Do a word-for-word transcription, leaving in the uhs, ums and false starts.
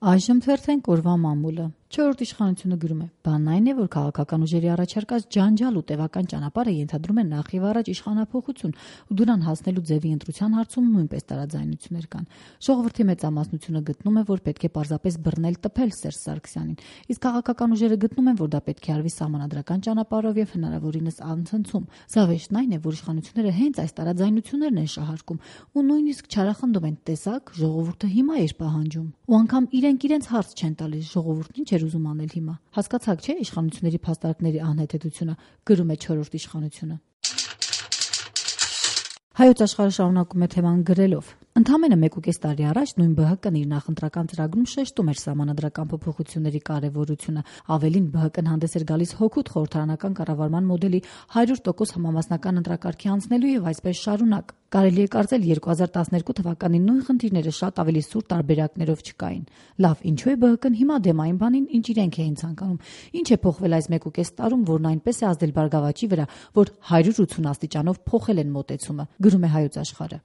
Այժմ թերթենք օրվա մամուլը։ Չորրորդ իշխանությունը գրում է. «Բանն այն է, որ քաղաքական ուժերի առաջարկած ջանջալ ու տևական ճանապարհը ենթադրում է նախ եւ առաջ իշխանափոխություն, ու դրան հասնելու ձևի ընտրության հարցում նույնպես տարաձայնություններ կան։ Ժողովրդի մեծամասնությունը գտնում է, որ պետք է պարզապես բռնել տփել Սերժ Սարգսյանին, իսկ քաղաքական ուժերը գտնում են, որ դա պետք է արվի սահմանադրական ճանապարհով եւ հնարավորինս անցնցում։ Զավեշտն այն է, որ իշխանությունները հենց այս տարաձայնություններն են շահարկում ու նույնիսկ չարախնդում են. տեսակ, ժողովուրդը հիմա էր պահանջում։ Ու անգամ իրենք իրենց հարց չեն տալիս, ժողովուրդն ինչ էր ուզում անել հիմա։ Հասկացաք, չէ՞, իշխանությունների փաստարկների անհեթեթությունը», գրում է չորրորդ իշխանությունը։ Հայոց աշխարհը շարունակում է թեման գրելով. «Ընդամենը մեկուկես տարի առաջ նույն Բ Հ Կն իր նախընտրական ծրագրում շեշտում էր սահմանադրական փոփոխությունների կարևորությունը։ Ավելին, Բ Հ Կն հանդես էր գալիս հօգուտ խորհրդարանական կառավարման մոդելի հարյուր տոկոս համամասնական ընտրակարգի անցնելու եւ այսպես շարունակ։ Կարելի է կարծել երկու հազար տասներկու թվականին նույն խնդիրները շատ ավելի սուր տարբերակներով չկային։ Լավ, ինչու է Բ Հ Կն հիմա դեմ այն բանին, ինչ իրենք էին ցանկանում։ Ինչ է փոխվել այս մեկուկես տարում, որն այնպես է ազդել Բարգավաճի վրա, որ հարյուր ութուն աստիճանով փոխել են մոտեցումը», գրում է Հայոց աշխարհը։